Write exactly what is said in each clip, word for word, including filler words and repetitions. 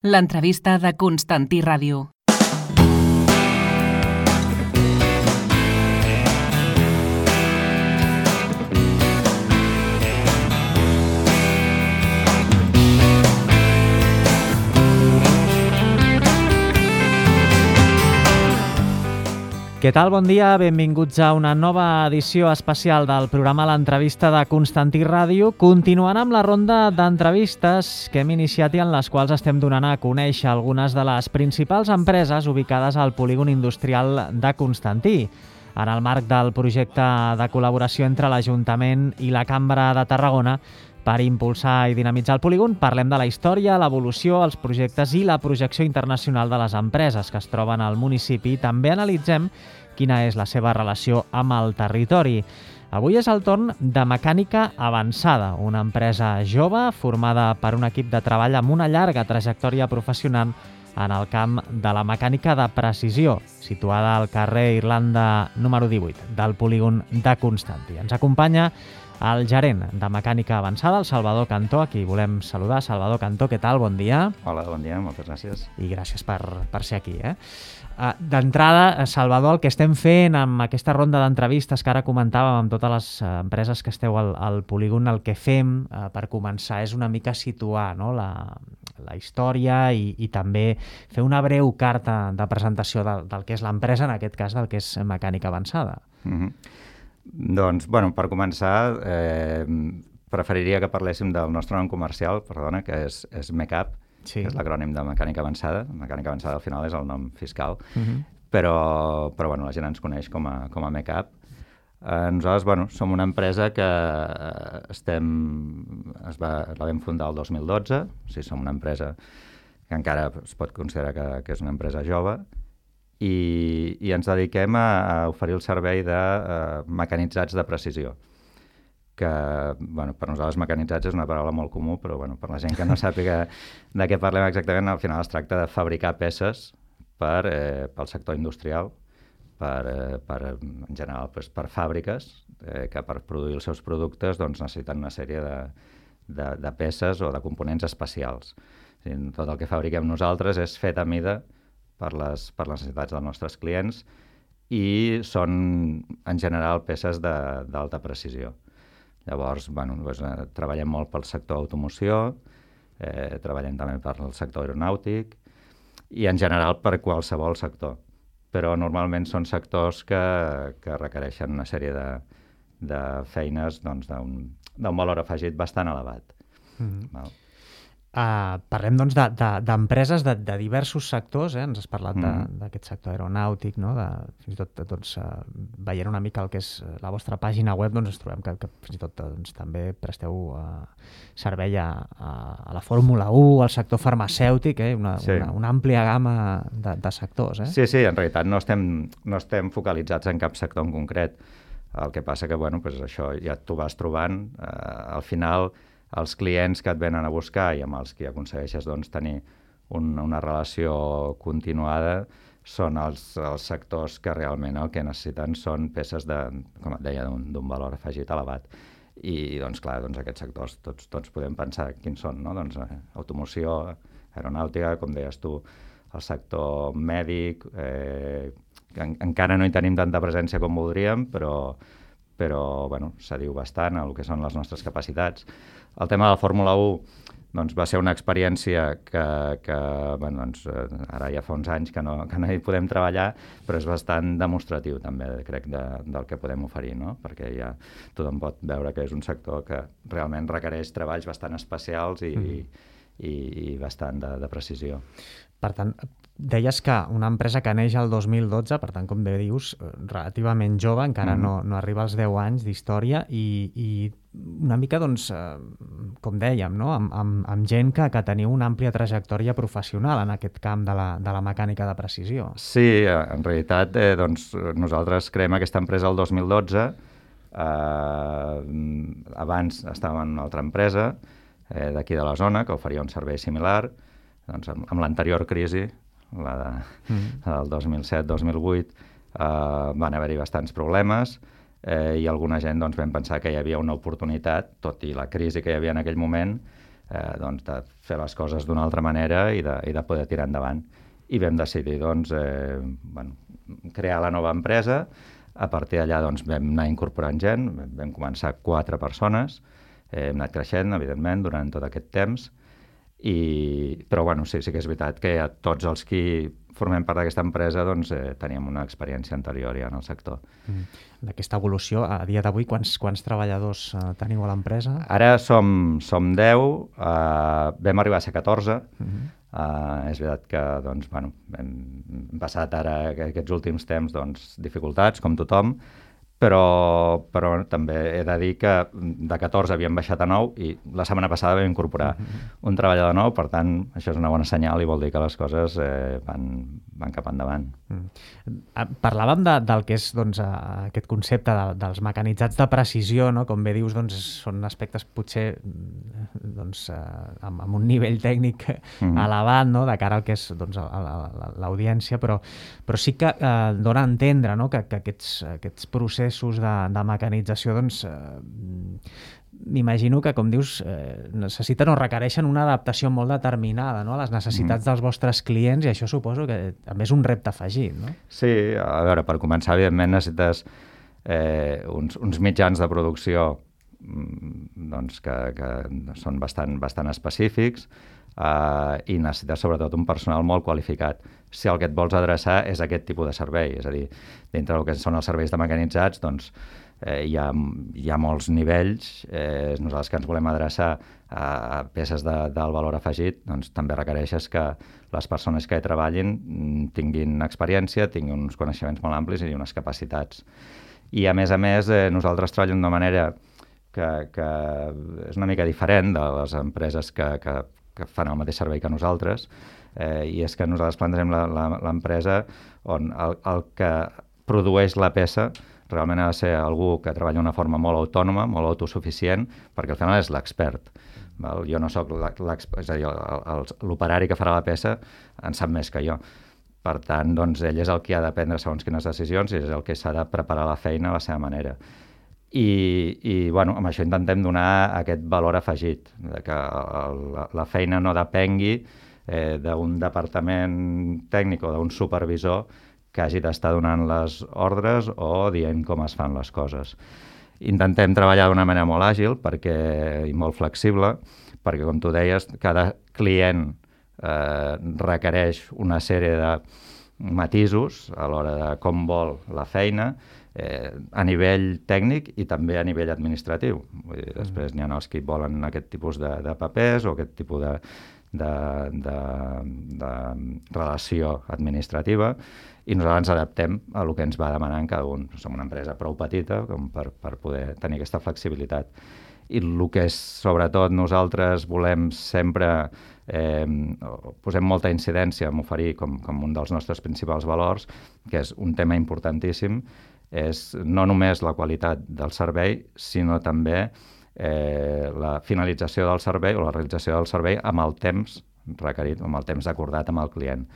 L'entrevista de Constantí Ràdio. Què tal? Bon dia, benvinguts a una nova edició especial del programa L'entrevista de Constantí Ràdio, continuant amb la ronda d'entrevistes que hem iniciat i en les quals estem donant a conèixer algunes de les principals empreses ubicades al polígon industrial de Constantí. En el marc del projecte de col·laboració entre l'Ajuntament i la Cambra de Tarragona per impulsar i dinamitzar el polígon, parlem de la història, l'evolució, els projectes i la projecció internacional de les empreses que es troben al municipi. També analitzem quina és la seva relació amb el territori. Avui és el torn de Mecànica Avançada, una empresa jove formada per un equip de treball amb una llarga trajectòria professional en el camp de la mecànica de precisió, situada al carrer Irlanda número divuit del polígon de Constantí. Ens acompanya el gerent de Mecànica Avançada, el Salvador Cantó, a qui volem saludar. Salvador Cantó, què tal? Bon dia. Hola, bon dia, moltes gràcies. I gràcies per, per ser aquí. Eh? Uh, D'entrada, Salvador, el que estem fent amb aquesta ronda d'entrevistes que ara comentàvem amb totes les uh, empreses que esteu al, al polígon, el que fem uh, per començar és una mica situar, no?, la, la història i, i també fer una breu carta de presentació del, del que és l'empresa, en aquest cas del que és Mecànica Avançada. Mm-hmm. Doncs, bueno, per començar, eh, preferiria que parléssim del nostre nom comercial, perdona, que és, és MECAP, sí. Que és l'acrònim de Mecànica Avançada. Mecànica Avançada al final és el nom fiscal, uh-huh. però, però bueno, la gent ens coneix com a, com a MECAP. Eh, nosaltres, bueno, som una empresa que estem, es va, la vam fundar el dos mil dotze, o sigui, som una empresa que encara es pot considerar que, que és una empresa jove, I, i ens dediquem a, a oferir el servei de uh, mecanitzats de precisió, que bueno, per nosaltres mecanitzats és una paraula molt comú, però bueno, per la gent que no sàpiga de què parlem exactament, al final es tracta de fabricar peces per, eh, pel sector industrial, per, eh, per, en general pues, per fàbriques eh, que per produir els seus productes doncs, necessiten una sèrie de, de, de peces o de components especials. O sigui, tot el que fabriquem nosaltres és fet a mida per les, per les necessitats dels nostres clients i són, en general, peces d'alta precisió. Llavors, bueno, doncs, eh, treballem molt pel sector automoció, eh, treballem també per el sector aeronàutic i, en general, per qualsevol sector. Però normalment són sectors que, que requereixen una sèrie de, de feines doncs, d'un d'un valor afegit bastant elevat. Mm-hmm. Val? Uh, parlem doncs d'empreses de, de, de diversos sectors, eh? Ens has parlat mm. d'aquest sector aeronàutic, no? De, fins i tot doncs, uh, veient una mica el que és la vostra pàgina web, doncs ens trobem que, que fins i tot doncs, també presteu uh, servei a, a, a la Fórmula u, al sector farmacèutic, eh? una, sí. una, una àmplia gamma de, de sectors. Eh? Sí, sí, en realitat no estem, no estem focalitzats en cap sector en concret. El que passa que, bueno, pues això ja t'ho vas trobant. Uh, al final, els clients que et venen a buscar i amb els que aconsegueixes doncs, tenir un, una relació continuada són els, els sectors que realment el que necessiten són peces de, com et deia, d'un valor afegit elevat. I, doncs, clar, doncs, aquests sectors tots, tots podem pensar quins són, no? Doncs, eh, automoció, aeronàutica, com deies tu, el sector mèdic, eh, que en, encara no hi tenim tanta presència com voldríem, però, però bueno, s'adiu bastant a el que són les nostres capacitats. El tema de la Fórmula u doncs, va ser una experiència que, que bueno, doncs, ara ja fa uns anys que no, que no hi podem treballar, però és bastant demostratiu també, crec, de, del que podem oferir, no? Perquè ja tothom pot veure que és un sector que realment requereix treballs bastant especials i, mm. i, i bastant de, de precisió. Per tant, deies que una empresa que neix el dos mil dotze, per tant, com bé dius, relativament jove, encara mm. no, no arriba als deu anys d'història i, i una mica, doncs, eh, com dèiem, no? amb, amb, amb gent que, que teniu una àmplia trajectòria professional en aquest camp de la, de la mecànica de precisió. Sí, en realitat, eh, doncs, nosaltres creem aquesta empresa el dos mil dotze. Eh, abans estàvem en una altra empresa eh, d'aquí de la zona que oferia un servei similar. Doncs, amb, amb l'anterior crisi, la de, mm. del dos mil set dos mil vuit, eh, van haver-hi bastants problemes eh, i alguna gent doncs, vam pensar que hi havia una oportunitat, tot i la crisi que hi havia en aquell moment, eh, doncs, de fer les coses d'una altra manera i de, i de poder tirar endavant. I vam decidir doncs, eh, bueno, crear la nova empresa. A partir d'allà doncs, vam anar incorporant gent, vam començar quatre persones, eh, hem anat creixent, evidentment, durant tot aquest temps, i, però bueno, sí, sí que és veritat que ja tots els qui formem part d'aquesta empresa doncs, eh, teníem una experiència anterior ja en el sector. Mm. D'aquesta evolució, a dia d'avui, quants, quants treballadors eh, teniu a l'empresa? Ara som, som deu, eh, vam arribar a ser catorze. Mm-hmm. Uh, és veritat que doncs, bueno, hem passat ara aquests últims temps doncs, dificultats, com tothom, però, però també he de dir que de catorze havíem baixat a nou i la setmana passada vam incorporar mm-hmm. un treballador nou, per tant, això és una bona senyal i vol dir que les coses eh, van, van cap endavant. Mm. Parlàvem de, del que és doncs, aquest concepte de, dels mecanitzats de precisió, no? Com bé dius, doncs, són aspectes potser doncs, amb, amb un nivell tècnic mm-hmm. elevat, no? De cara al que és doncs, l'audiència, però, però sí que eh, dona a entendre, no? que, que aquests, aquests processos de, de mecanització, doncs, eh, m'imagino que, com dius, eh, necessiten o requereixen una adaptació molt determinada, no? A les necessitats mm. dels vostres clients, i això suposo que també és un repte afegit, no? Sí, a veure, per començar, evidentment, necessites eh, uns, uns mitjans de producció doncs, que, que són bastant, bastant específics, Uh, i necessites sobretot un personal molt qualificat si el que et vols adreçar és aquest tipus de servei, és a dir, dintre del que són els serveis de mecanitzats doncs eh, hi, ha, hi ha molts nivells, eh, nosaltres que ens volem adreçar a peces de, del valor afegit, doncs també requereixes que les persones que hi treballin tinguin experiència, tinguin uns coneixements molt amplis i unes capacitats. I a més a més eh, nosaltres treballem d'una manera que, que és una mica diferent de les empreses que, que que fan el mateix servei que nosaltres, eh, i és que nosaltres plantegem l'empresa on el, el que produeix la peça realment ha de ser algú que treballa d'una forma molt autònoma, molt autosuficient, perquè al final és l'expert. Jo no soc l'expert, és a dir, l'operari que farà la peça en sap més que jo. Per tant, doncs, ell és el que ha de prendre segons quines decisions i és el que s'ha de preparar la feina a la seva manera. I, i bueno, amb això intentem donar aquest valor afegit, de que la, la feina no depengui eh, d'un departament tècnic o d'un supervisor que hagi d'estar donant les ordres o dient com es fan les coses. Intentem treballar d'una manera molt àgil perquè, i molt flexible, perquè, com tu deies, cada client eh, requereix una sèrie de matisos a l'hora de com vol la feina, Eh, a nivell tècnic i també a nivell administratiu. Vull dir, després n'hi ha els que volen aquest tipus de, de papers o aquest tipus de, de, de, de relació administrativa i nosaltres ens adaptem a el que ens va demanant cada un. Som una empresa prou petita com per, per poder tenir aquesta flexibilitat. I el que és, sobretot, nosaltres volem sempre, eh, posem molta incidència en oferir com, com un dels nostres principals valors, que és un tema importantíssim, és no només la qualitat del servei, sinó també eh, la finalització del servei o la realització del servei amb el temps requerit, amb el temps acordat amb el client.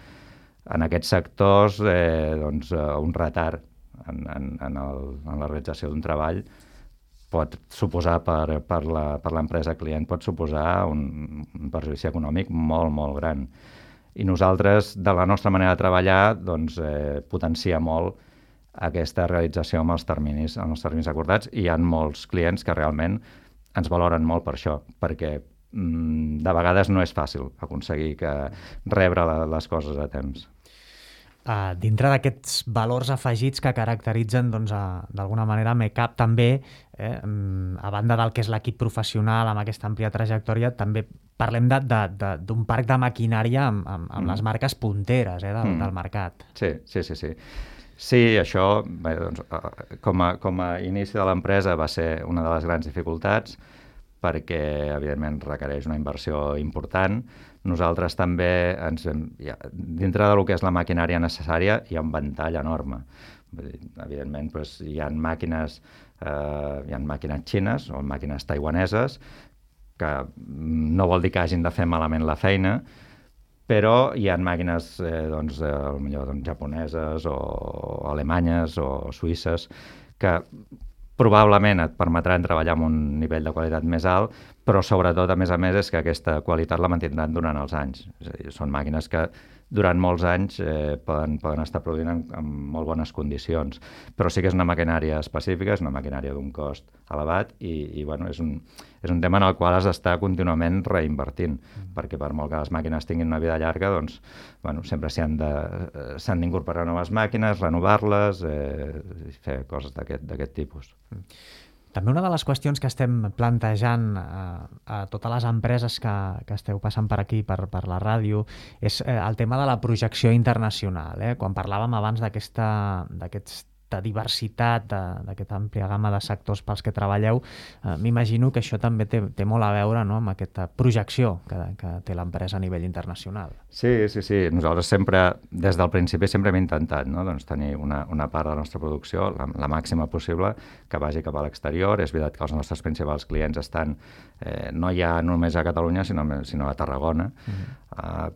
En aquests sectors, eh, doncs, un retard en, en, en, el, en la realització d'un treball pot suposar per, per l'empresa client, pot suposar un, un perjudici econòmic molt, molt gran. I nosaltres, de la nostra manera de treballar, doncs, eh, potencia molt aquesta realització amb els terminis, amb els terminis acordats, i hi ha molts clients que realment ens valoren molt per això, perquè mm, de vegades no és fàcil aconseguir que rebre la, les coses a temps. Uh, dintre d'aquests valors afegits que caracteritzen doncs, d'alguna manera Mecap també, eh, a banda del que és l'equip professional amb aquesta àmplia trajectòria, també parlem d'un parc de maquinària amb, amb, amb mm. les marques punteres eh, del, mm. del mercat. Sí, sí, sí, sí. Sí, això, bé, doncs, com, a, com a inici de l'empresa va ser una de les grans dificultats perquè, evidentment, requereix una inversió important. Nosaltres també, ens, ja, dintre del que és la maquinària necessària, hi ha un ventall enorme. Evidentment, doncs, hi ha màquines, eh, hi ha màquines xines o màquines taiwaneses que no vol dir que hagin de fer malament la feina, però hi ha màquines eh, doncs, eh, potser, doncs, japoneses o alemanyes o suïsses que probablement et permetran treballar amb un nivell de qualitat més alt, però sobretot, a més a més, és que aquesta qualitat la mantindran durant els anys. És a dir, són màquines que durant molts anys eh, poden, poden estar produint en, en molt bones condicions. Però sí que és una maquinària específica, és una maquinària d'un cost elevat i, i bueno, és, un, és un tema en el qual has d'estar contínuament reinvertint, mm. perquè per molt que les màquines tinguin una vida llarga, doncs, bueno, sempre s'han d'incorporar noves màquines, renovar-les, eh, fer coses d'aquest tipus. Mm. També una de les qüestions que estem plantejant a, a totes les empreses que, que esteu passant per aquí, per, per la ràdio, és eh, el tema de la projecció internacional. Eh? Quan parlàvem abans d'aquesta d'aquests diversitat, d'aquesta àmplia gamma de sectors pels que treballeu, eh, m'imagino que això també té, té molt a veure, no?, amb aquesta projecció que, que té l'empresa a nivell internacional. Sí, sí, sí. Nosaltres sempre, des del principi, sempre hem intentat, no?, doncs, tenir una, una part de la nostra producció, la, la màxima possible, que vagi cap a l'exterior. És veritat que els nostres principals clients estan eh, no ja només a Catalunya, sinó, sinó a Tarragona. Uh-huh. uh,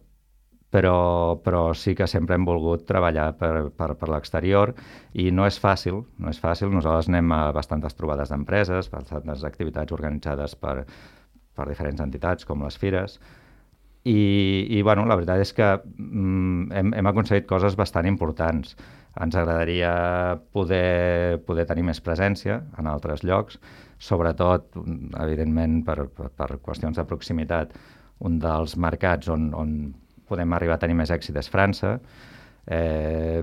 Però, però sí que sempre hem volgut treballar per, per, per l'exterior i no és fàcil, no és fàcil. Nosaltres anem a bastantes trobades d'empreses, bastantes activitats organitzades per, per diferents entitats, com les fires, i, i bueno, la veritat és que mm, hem, hem aconseguit coses bastant importants. Ens agradaria poder, poder tenir més presència en altres llocs, sobretot, evidentment, per, per, per qüestions de proximitat. Un dels mercats on, on podem arribar a tenir més èxit és França, eh,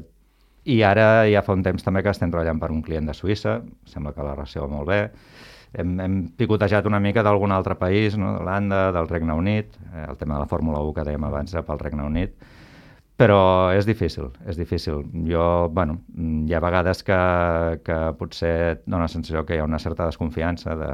i ara ja fa un temps també que estem treballant per un client de Suïssa, sembla que la relació va molt bé. Hem, hem picotejat una mica d'algun altre país, no?, d'Holanda, del Regne Unit, eh, el tema de la Fórmula u que dèiem abans era pel Regne Unit, però és difícil, és difícil. Jo, bueno, hi ha vegades que, que potser dona la sensació que hi ha una certa desconfiança de,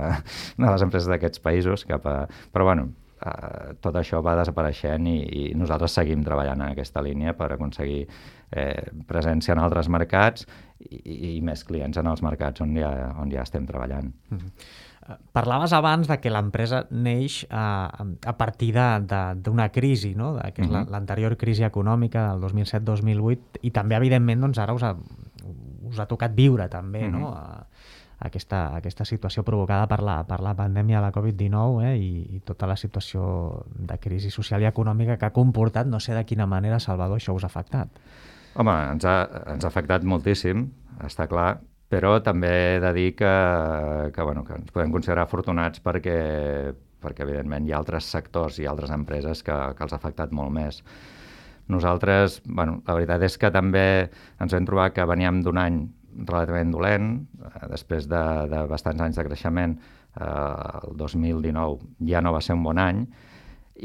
de les empreses d'aquests països cap a... Però, bueno, Uh, tot això va desapareixent i, i nosaltres seguim treballant en aquesta línia per aconseguir eh, presència en altres mercats i, i més clients en els mercats on ja, on ja estem treballant. Mm-hmm. Uh, parlaves abans de que l'empresa neix uh, a partir d'una crisi, no?, de, que és mm-hmm. l'anterior crisi econòmica del dos mil set dos mil vuit, i també, evidentment, doncs, ara us ha, us ha tocat viure també, mm-hmm. no?, uh, Aquesta, aquesta situació provocada per la, per la pandèmia de la covid dinou, eh, i, i tota la situació de crisi social i econòmica que ha comportat. No sé de quina manera, Salvador, això us ha afectat. Home, ens ha, ens ha afectat moltíssim, està clar, però també he de dir que, que, bueno, que ens podem considerar afortunats perquè, perquè evidentment, hi ha altres sectors i altres empreses que, que els ha afectat molt més. Nosaltres, bueno, la veritat és que també ens vam trobar que veníem d'un any relativament dolent, després de, de bastants anys de creixement, eh, el dos mil dinou ja no va ser un bon any,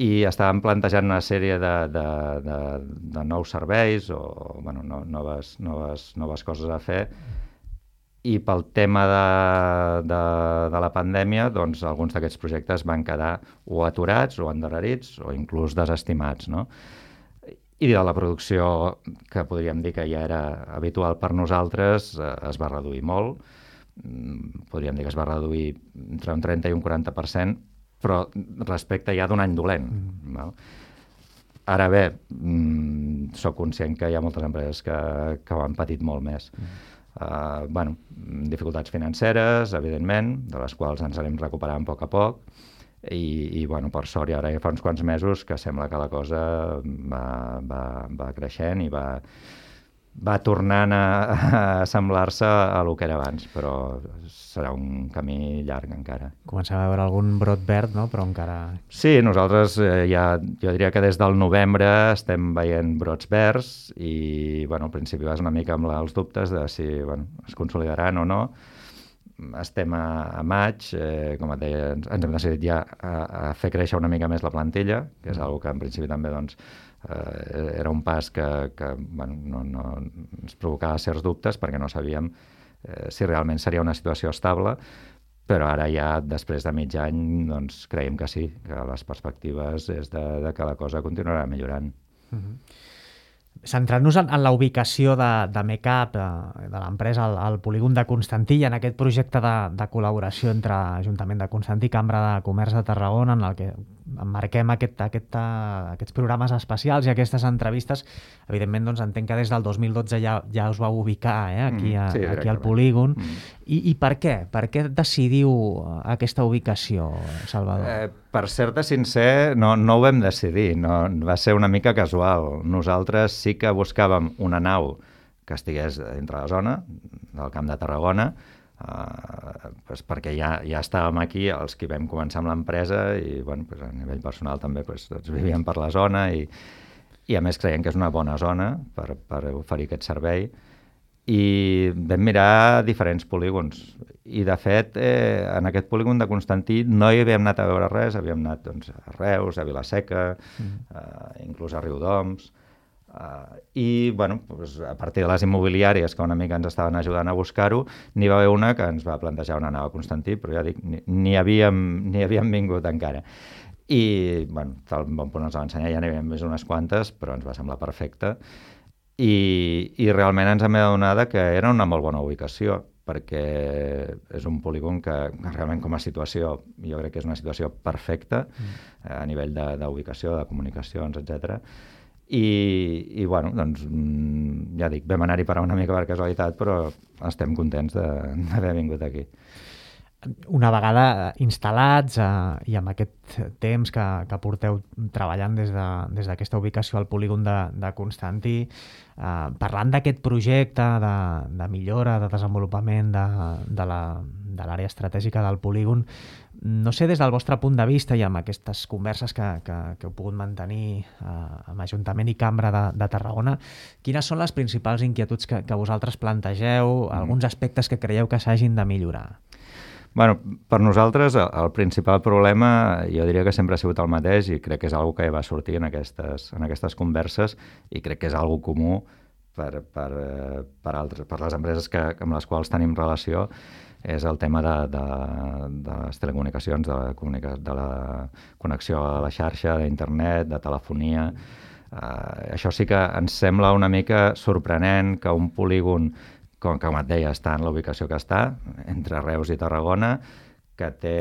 i estàvem plantejant una sèrie de, de, de, de nous serveis o bueno, no, noves, noves, noves coses a fer, i pel tema de, de, de la pandèmia, doncs alguns d'aquests projectes van quedar o aturats o endarrerits o inclús desestimats, no? I de la producció, que podríem dir que ja era habitual per nosaltres, eh, es va reduir molt. Podríem dir que es va reduir entre un trenta i un quaranta per cent, però respecte ja d'un any dolent. Mm. Val? Ara bé, mm, soc conscient que hi ha moltes empreses que, que ho han patit molt més. Mm. Uh, bueno, dificultats financeres, evidentment, de les quals ens anem recuperant a poc a poc, I, i bueno, per sort, i ara ja fa uns quants mesos que sembla que la cosa va, va, va creixent i va, va tornant a, a assemblar-se a lo que era abans, però serà un camí llarg encara. Comencem a veure algun brot verd, no?, però encara... Sí, nosaltres eh, ja, jo diria que des del novembre estem veient brots verds i, bueno, al principi vas una mica amb la, els dubtes de si, bueno, es consolidaran o no. Estem a, a maig, eh, com et deia, ens, ens hem decidit ja a, a fer créixer una mica més la plantilla, que és una cosa que en principi també doncs, eh, era un pas que, que bueno, no, no ens provocava certs dubtes perquè no sabíem eh, si realment seria una situació estable, però ara ja després de mig any doncs, creiem que sí, que les perspectives és de, de que la cosa continuarà millorant. Mm-hmm. Centrant-nos en, en la ubicació de, de Mecap, de, de l'empresa al, al polígon de Constantí, i en aquest projecte de, de col·laboració entre Ajuntament de Constantí i Cambra de Comerç de Tarragona, en el que emmarquem aquest, aquest, aquests programes especials i aquestes entrevistes, evidentment doncs, entenc que des del dos mil dotze ja, ja us vau ubicar eh, aquí, a, sí, aquí al polígon. Mm. I, I per què? Per què decidiu aquesta ubicació, Salvador? Eh, per ser-te sincer, no, no ho vam decidir, no, va ser una mica casual. Nosaltres sí que buscàvem una nau que estigués dintre la zona del Camp de Tarragona, eh, pues perquè ja, ja estàvem aquí, els que vam començar amb l'empresa, i bueno, pues a nivell personal també pues, doncs vivíem per la zona, i, i a més creiem que és una bona zona per, per oferir aquest servei. I vam mirar diferents polígons i de fet eh, en aquest polígon de Constantí no hi havíem anat a veure res, havíem anat doncs, a Reus, a Vilaseca, mm. eh, inclús a Riudoms, eh, i bueno, doncs, a partir de les immobiliàries que una mica ens estaven ajudant a buscar-ho, n'hi va haver una que ens va plantejar una nau a Constantí, però ja dic, ni havíem, ni havíem vingut encara. I bueno, tal bon punt ens va ensenyar, ja n'hi havíem vist unes quantes, però ens va semblar perfecte. I, i realment ens hem adonat que era una molt bona ubicació, perquè és un polígon que, que realment com a situació jo crec que és una situació perfecta mm. a nivell d'ubicació, de, de comunicacions, etcètera. I, i bueno, doncs ja dic, vam anar-hi per una mica per casualitat, però estem contents d'haver vingut aquí. Una vegada instal·lats eh, i amb aquest temps que, que porteu treballant des d'aquesta de, ubicació al polígon de, de Constantí, eh, parlant d'aquest projecte de, de millora, de desenvolupament de, de l'àrea estratègica del polígon, no sé, des del vostre punt de vista i amb aquestes converses que, que, que heu pogut mantenir eh, amb Ajuntament i Cambra de, de Tarragona, quines són les principals inquietuds que, que vosaltres plantegeu, mm. alguns aspectes que creieu que s'hagin de millorar? Bueno, per nosaltres el, el principal problema jo diria que sempre ha sigut el mateix i crec que és una que va sortir en aquestes, en aquestes converses i crec que és una comú per, per, per, altres, per les empreses que, amb les quals tenim relació, és el tema de, de, de les telecomunicacions, de la, comunica, de la connexió a la xarxa, d'internet, de telefonia. Uh, això sí que ens sembla una mica sorprenent que un polígon com, com et deia, està en la ubicació que està, entre Reus i Tarragona, que té,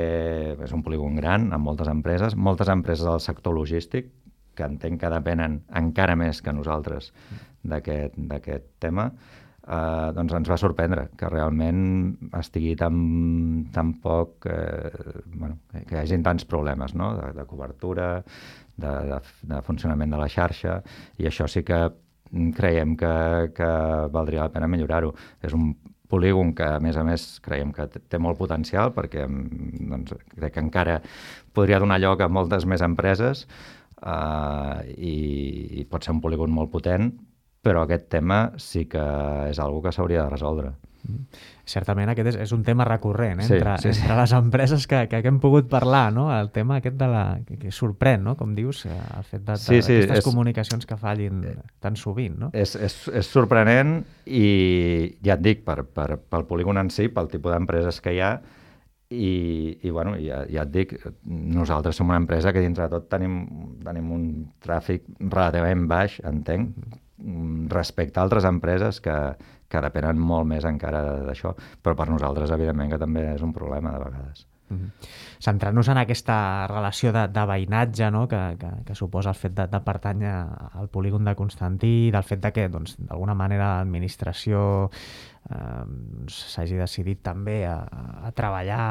és un polígon gran, amb moltes empreses, moltes empreses del sector logístic, que entenc que depenen encara més que nosaltres d'aquest tema, eh, doncs ens va sorprendre que realment estigui tan, tan poc, eh, bueno, que hi hagin tants problemes, no? de, de cobertura, de, de, de funcionament de la xarxa, i això sí que creiem que, que valdria la pena millorar-ho. És un polígon que, a més a més, creiem que té molt potencial perquè doncs, crec que encara podria donar lloc a moltes més empreses uh, i, i pot ser un polígon molt potent, però aquest tema sí que és una que s'hauria de resoldre. Mm. Certament aquest és, és un tema recurrent eh? sí, entre, sí, sí. entre les empreses que, que hem pogut parlar, no? El tema aquest de la, que, que sorprèn, no? Com dius, el fet de, sí, sí, d'aquestes és, comunicacions que fallin tan sovint, no? És, és, és sorprenent i ja et dic, per, per, pel polígon en si, pel tipus d'empreses que hi ha, i, i bueno, ja, ja et dic, nosaltres som una empresa que dintre de tot tenim, tenim un tràfic relativament baix, entenc, respecte a altres empreses que, que depenen molt més encara d'això, però per nosaltres evidentment que també és un problema de vegades. Mm-hmm. Centrant-nos en aquesta relació de, de veïnatge, no? que, que, que suposa el fet de, de pertànyer al polígon de Constantí, del fet de que doncs, d'alguna manera l'administració eh, s'hagi decidit també a, a treballar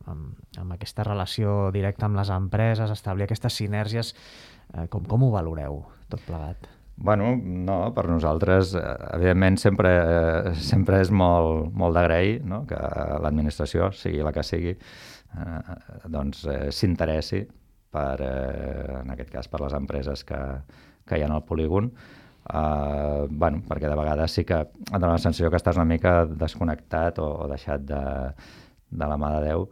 amb, amb aquesta relació directa amb les empreses, establir aquestes sinergies, eh, com, com ho valoreu tot plegat? Bueno, no, per nosaltres, evidentment, sempre, eh, sempre és molt, molt d'agrair, no? Que l'administració, sigui la que sigui, eh, doncs eh, s'interessi per, eh, en aquest cas, per les empreses que, que hi ha al polígon, eh, bueno, perquè de vegades sí que et dona la sensació que estàs una mica desconnectat o, o deixat de, de la mà de Déu.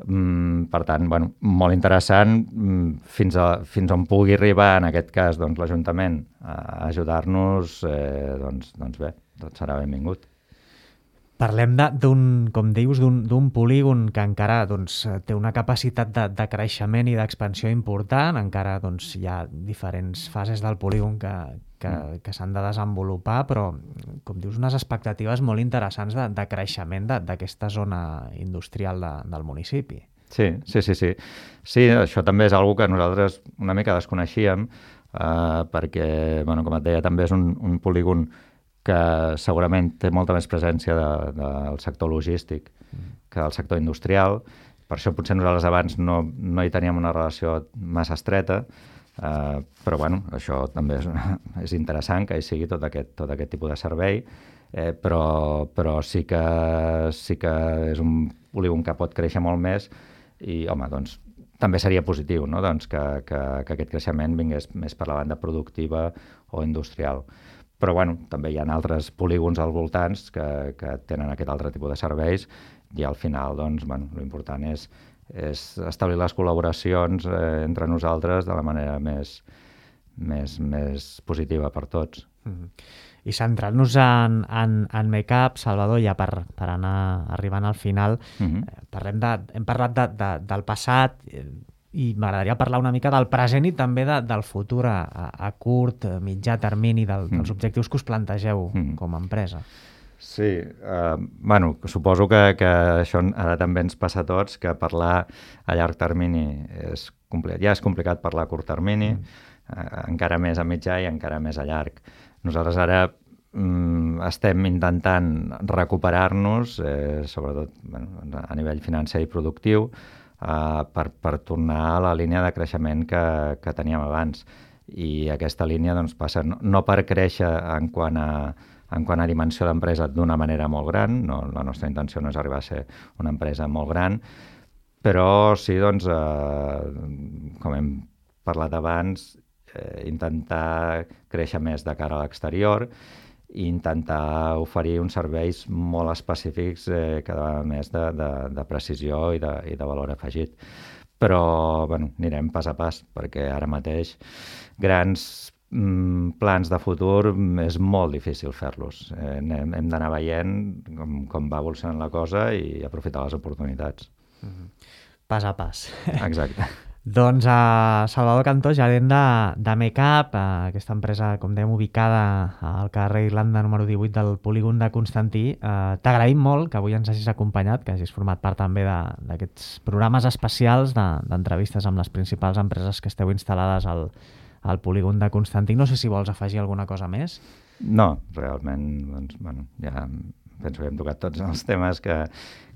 Mm, per tant, bueno, molt interessant mm, fins, a, fins on pugui arribar en aquest cas doncs, l'Ajuntament a ajudar-nos, eh, doncs, doncs bé, tot serà benvingut. Parlem d'un, com dius, d'un polígon que encara doncs, té una capacitat de, de creixement i d'expansió important, encara doncs, hi ha diferents fases del polígon que, que, que s'han de desenvolupar, però, com dius, unes expectatives molt interessants de, de creixement d'aquesta zona industrial de, del municipi. Sí, sí, sí, sí. Sí, això també és una cosa que nosaltres una mica desconeixíem, eh, perquè, bueno, com et deia, també és un, un polígon que segurament té molta més presència de, de, del sector logístic que del sector industrial. Per això potser nosaltres abans no, no hi teníem una relació massa estreta, eh, però bueno, això també és, és interessant que hi sigui tot aquest, tot aquest tipus de servei, eh, però, però sí que, sí que és un polígon que pot créixer molt més i, home, doncs, també seria positiu, no? Doncs que, que, que aquest creixement vingués més per la banda productiva o industrial. Però bueno, també hi ha altres polígons als voltants que, que tenen aquest altre tipus de serveis i al final, doncs, bueno, l'important és, és establir les col·laboracions eh, entre nosaltres de la manera més, més, més positiva per tots. Mm-hmm. I centrant-nos en, en, en Mecap, Salvador, ja per, per anar arribant al final, mm-hmm. eh, parlem de, hem parlat de, de, del passat, eh, i m'agradaria parlar una mica del present i també de, del futur a, a curt, mitjà termini, del, dels objectius que us plantegeu mm. com a empresa. Sí, eh, bueno, suposo que, que això ara també ens passa a tots, que parlar a llarg termini és complicat. Ja és complicat parlar a curt termini, mm. eh, encara més a mitjà i encara més a llarg. Nosaltres ara mm, estem intentant recuperar-nos, eh, sobretot bueno, a nivell financer i productiu, Uh, per, per tornar a la línia de creixement que, que teníem abans. I aquesta línia doncs, passa no, no per créixer en quant a, en quant a dimensió d'empresa d'una manera molt gran, no, la nostra intenció no és arribar a ser una empresa molt gran, però sí, doncs, uh, com hem parlat abans, eh, intentar créixer més de cara a l'exterior i intentar oferir uns serveis molt específics eh, cada vegada més de, de, de precisió i de, i de valor afegit. Però bueno, anirem pas a pas, perquè ara mateix grans mm, plans de futur és molt difícil fer-los. Eh, hem hem d'anar veient com, com va evolucionant la cosa i aprofitar les oportunitats. Mm-hmm. Pas a pas. Exacte. Doncs a uh, Salvador Cantó, gerent de, de Mecap, uh, aquesta empresa, com dèiem, ubicada al carrer Irlanda número divuit del polígon de Constantí. Uh, T'agraïm molt que avui ens hagis acompanyat, que hagis format part també d'aquests programes especials d'entrevistes de, amb les principals empreses que esteu instal·lades al, al polígon de Constantí. No sé si vols afegir alguna cosa més. No, realment, doncs, bueno, ja penso que hem tocat tots els temes que,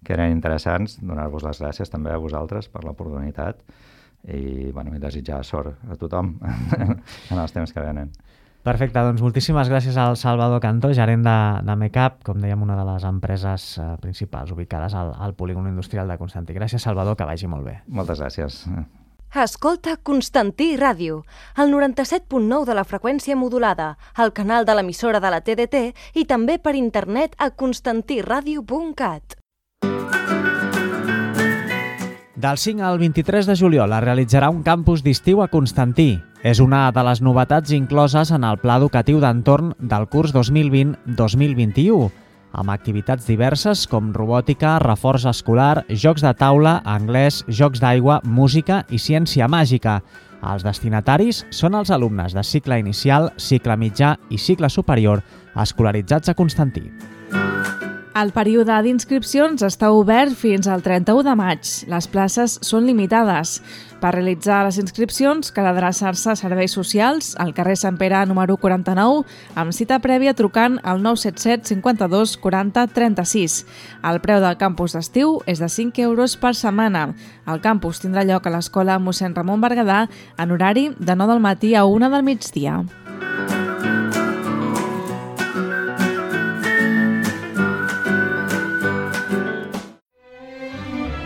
que eren interessants. Donar-vos les gràcies també a vosaltres per l'oportunitat i, bueno, i desitjar sort a tothom en els temps que venen. Perfecte, doncs moltíssimes gràcies al Salvador Cantó, gerent de, de Mecap, com dèiem, una de les empreses eh, principals ubicades al, al polígon industrial de Constantí. Gràcies, Salvador, que vagi molt bé. Moltes gràcies. Escolta Constantí Ràdio, el noranta-set punt nou de la freqüència modulada, el canal de l'emissora de la T D T i també per internet a constantiradio punt cat. Del cinc al vint-i-tres de juliol es realitzarà un campus d'estiu a Constantí. És una de les novetats incloses en el pla educatiu d'entorn del curs dos mil vint dos mil vint-i-u, amb activitats diverses com robòtica, reforç escolar, jocs de taula, anglès, jocs d'aigua, música i ciència màgica. Els destinataris són els alumnes de cicle inicial, cicle mitjà i cicle superior escolaritzats a Constantí. El període d'inscripcions està obert fins al trenta-u de maig. Les places són limitades. Per realitzar les inscripcions cal adreçar-se a Serveis Socials, al carrer Sant Pere número quaranta-nou, amb cita prèvia trucant al nou set set cinquanta-dos quaranta trenta-sis. El preu del campus d'estiu és de cinc euros per setmana. El campus tindrà lloc a l'Escola mossèn Ramon Berguedà en horari de nou del matí a una del migdia.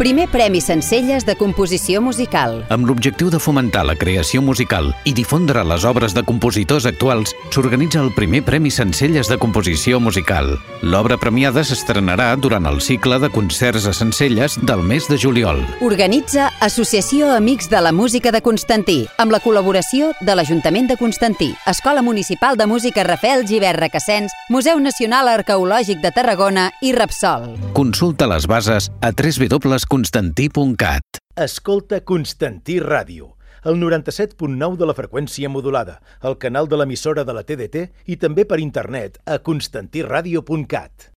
Primer Premi Sencelles de Composició Musical. Amb l'objectiu de fomentar la creació musical i difondre les obres de compositors actuals, s'organitza el Primer Premi Sencelles de Composició Musical. L'obra premiada s'estrenarà durant el cicle de concerts a Sencelles del mes de juliol. Organitza Associació Amics de la Música de Constantí, amb la col·laboració de l'Ajuntament de Constantí, Escola Municipal de Música Rafael Gibert Requesens, Museu Nacional Arqueològic de Tarragona i Repsol. Consulta les bases a w w w punt constantí punt cat. Escolta Constantí Ràdio, el noranta-set punt nou de la freqüència modulada, el canal de l'emissora de la T D T i també per internet a constantí ràdio punt cat.